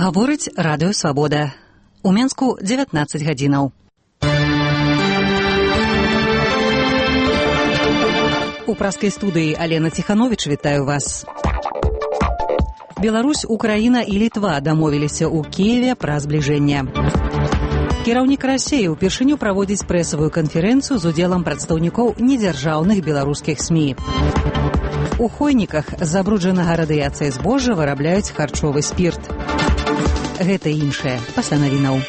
Гаворыць радыё «Свабода». У Менску 19 гадзінаў. У праскай студыі Алена Ціхановіч вітаю вас. Беларусь, Украіна і Літва дамовіліся ў Кіеве пра збліжэнне. Кіраўнік Расіі ўпершыню праводзіць прэсавую канферэнцыю з удзелам прадстаўнікоў недзяржаўных беларускіх СМІ. У Хойніках з забруджанага радыяцыяй збожжа вырабляюць харчовы спірт. Гэта і іншае пасля навінаў.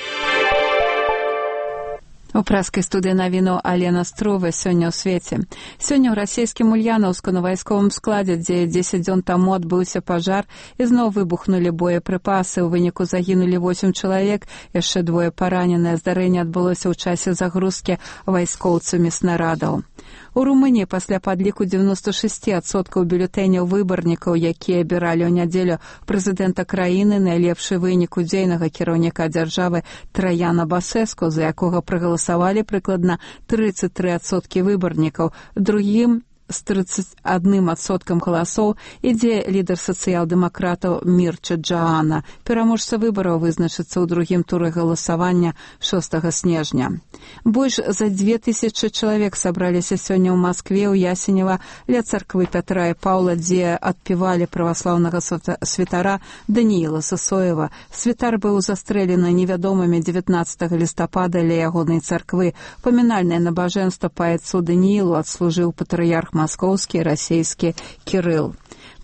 У праскай студыі навіну Алена Струва сёння ў свеце. Сёння ў расійскім Ульяноўску на вайсковым складзе, дзе 10 дзён таму адбыўся пажар, ізноў выбухнулі боепрыпасы. У выніку загінулі 8 чалавек, яшчэ 2 параненыя. Здарэнне адбылося ў часе загрузкі вайскоўцамі снарадаў. У Румыніі пасля падліку 96% бюлетэняў выбарнікаў, якія абіралі ў нядзелю прэзідэнта краіны, найлепшы вынік удзейнага кіраўніка дзяржавы Траяна Басэску, за якога прагаласавалі прыкладна 33% выбарнікаў. Другім з 31% галасоў ідзе лідар сацыял-дэмакратаў Мірча Джаана. Пераможца выбараў вызначыцца ў другім туры галасавання 6 снежня. Больш за 2000 чалавек сабраліся сёння ў Маскве, ў Ясенева, ля царквы Пятра і Паўла, дзе адпевалі праваслаўнага святара Данііла Сысоева. Святар быў застрэлены невядомымі 19 лістапада ля ягонай царквы. Памінальнае набажэнства паэцу Даніілу адслужыў патрыярх маскоўскі і расійскі Кірыл.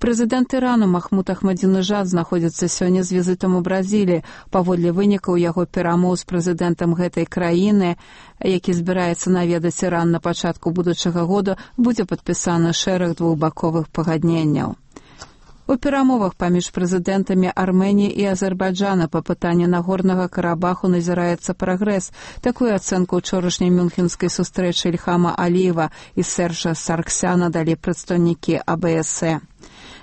Прэзідэнт Ірану Махмуд Ахмадзінежад знаходзіцца сёння з візітам у Бразіліі. Паводле вынікаў яго перамоў з прэзідэнтам гэтай краіны, які збіраецца наведаць Іран на пачатку будучага года, будзе падпісаны шэраг двухбаковых пагадненняў. У перамовах паміж прэзідэнтамі Арменіі і Азербайджана па пытанні Нагорнага Карабаху назіраецца прагрэс. Такую ацэнку ўчорашняй мюнхенскай сустрэчы Ільхама Аліева і Сержа Сарксяна далі прадстаўнікі АБСЭ.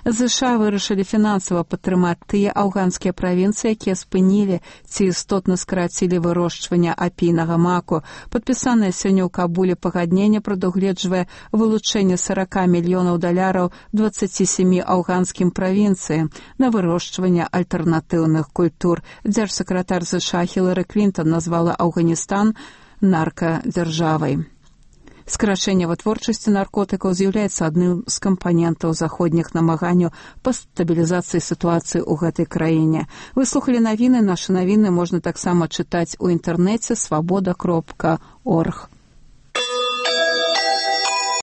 ЗША вырашылі фінансава падтрымаць тыя афганскія правінцыі, якія спынілі ці істотна скарацілі вырошчванне апійнага маку. Падпісанае сёння ў Кабуле пагадненне прадугледжвае вылучэнне $40 мільёнаў 27 афганскім правінцыям на вырошчванне альтэрнатыўных культур. Дзяржсакратар ЗША Хілары Клінтон назвала Афганістан наркадзяржавай. Скарачэнне вытворчасці наркотыкаў з'яўляецца адным з кампанентаў заходніх намаганняў па стабілізацыі сітуацыі ў гэтай краіне. Вы слухалі навіны. Нашы навіны можна таксама чытаць у інтэрнэце свабода.орг.